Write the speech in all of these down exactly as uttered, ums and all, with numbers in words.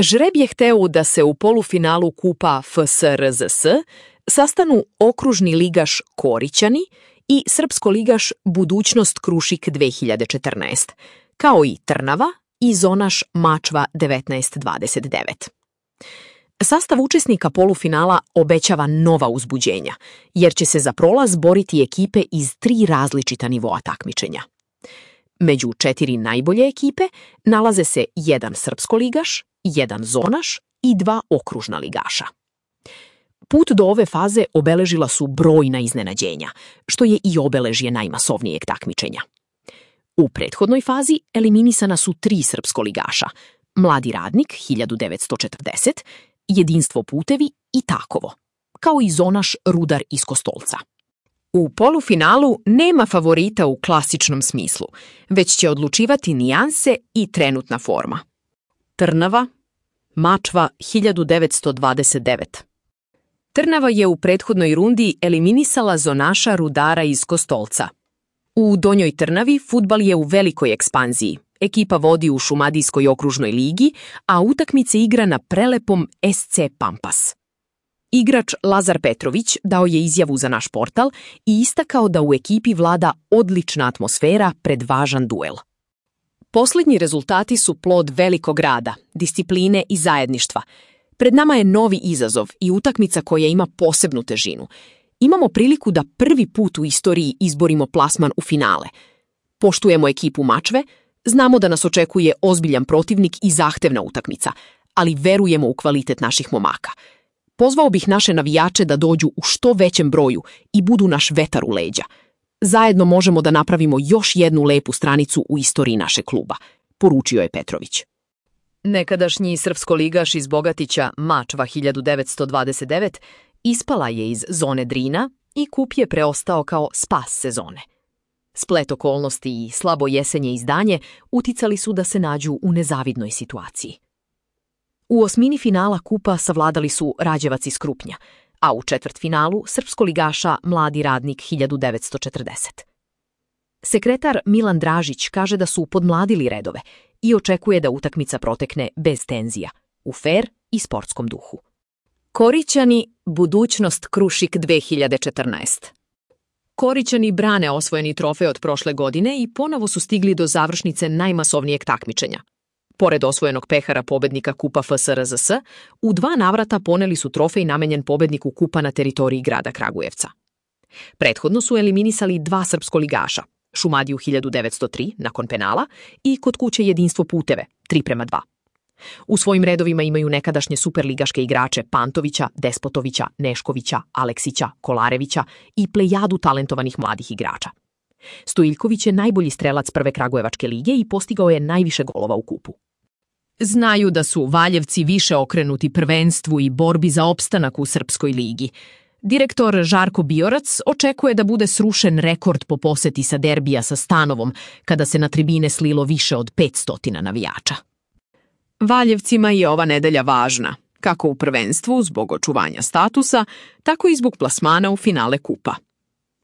Žreb je hteo da se u polufinalu kupa F S R Z S sastanu okružni ligaš Korićani i srpsko ligaš Budućnost Krušik dve hiljade četrnaest, kao i Trnava i zonaš Mačva devetnaest dvadeset devet. Sastav učesnika polufinala obećava nova uzbuđenja, jer će se za prolaz boriti ekipe iz tri različita nivoa takmičenja. Među četiri najbolje ekipe nalaze se jedan srpsko ligaš, jedan zonaš i dva okružna ligaša. Put do ove faze obeležila su brojna iznenađenja, što je i obeležje najmasovnijeg takmičenja. U prethodnoj fazi eliminisana su tri srpsko ligaša, Mladi radnik hiljadu devetsto četrdeset, Jedinstvo putevi i Takovo, kao i zonaš Rudar iz Kostolca. U polufinalu nema favorita u klasičnom smislu, već će odlučivati nijanse i trenutna forma. Trnava, Mačva hiljadu devetsto dvadeset devet. Trnava je u prethodnoj rundi eliminisala zonaša Rudara iz Kostolca. U Donjoj Trnavi fudbal je u velikoj ekspanziji. Ekipa vodi u Šumadijskoj okružnoj ligi, a utakmice igra na prelepom S C Pampas. Igrač Lazar Petrović dao je izjavu za naš portal i istakao da u ekipi vlada odlična atmosfera pred važan duel. Posljednji rezultati su plod velikog rada, discipline i zajedništva. Pred nama je novi izazov i utakmica koja ima posebnu težinu. Imamo priliku da prvi put u istoriji izborimo plasman u finale. Poštujemo ekipu Mačve, znamo da nas očekuje ozbiljan protivnik i zahtevna utakmica, ali verujemo u kvalitet naših momaka. Pozvao bih naše navijače da dođu u što većem broju i budu naš vetar u leđa. Zajedno možemo da napravimo još jednu lepu stranicu u istoriji našeg kluba, poručio je Petrović. Nekadašnji srpsko-ligaš iz Bogatića Mačva hiljadu devetsto dvadeset devet ispala je iz zone Drina i kup je preostao kao spas sezone. Splet okolnosti i slabo jesenje izdanje uticali su da se nađu u nezavidnoj situaciji. U osmini finala kupa savladali su Rađevac iz Krupnja, a u četvrtfinalu srpsko-ligaša Mladi radnik hiljadu devetsto četrdeset. Sekretar Milan Dražić kaže da su podmladili redove i očekuje da utakmica protekne bez tenzija, u fer i sportskom duhu. Korićani, Budućnost Krušik dve hiljade četrnaest. Korićani brane osvojeni trofej od prošle godine i ponovo su stigli do završnice najmasovnijeg takmičenja. Pored osvojenog pehara pobednika kupa F S R Z S, u dva navrata poneli su trofej namenjen pobedniku kupa na teritoriji grada Kragujevca. Prethodno su eliminisali dva srpsko-ligaša, Šumadiju hiljadu devetsto tri nakon penala i kod kuće Jedinstvo puteve, tri prema dva. U svojim redovima imaju nekadašnje superligaške igrače Pantovića, Despotovića, Neškovića, Aleksića, Kolarevića i plejadu talentovanih mladih igrača. Stojiljković je najbolji strelac prve Kragujevačke lige i postigao je najviše golova u kupu. Znaju da su Valjevci više okrenuti prvenstvu i borbi za opstanak u Srpskoj ligi. Direktor Žarko Biorac očekuje da bude srušen rekord po poseti sa derbija sa Stanovom, kada se na tribine slilo više od petsto navijača. Valjevcima je ova nedelja važna, kako u prvenstvu zbog očuvanja statusa, tako i zbog plasmana u finale kupa.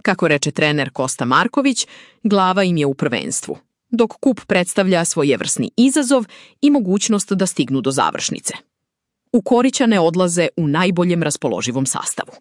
Kako reče trener Kosta Marković, glava im je u prvenstvu, dok kup predstavlja svojevrsni izazov i mogućnost da stignu do završnice. U Korićane odlaze u najboljem raspoloživom sastavu.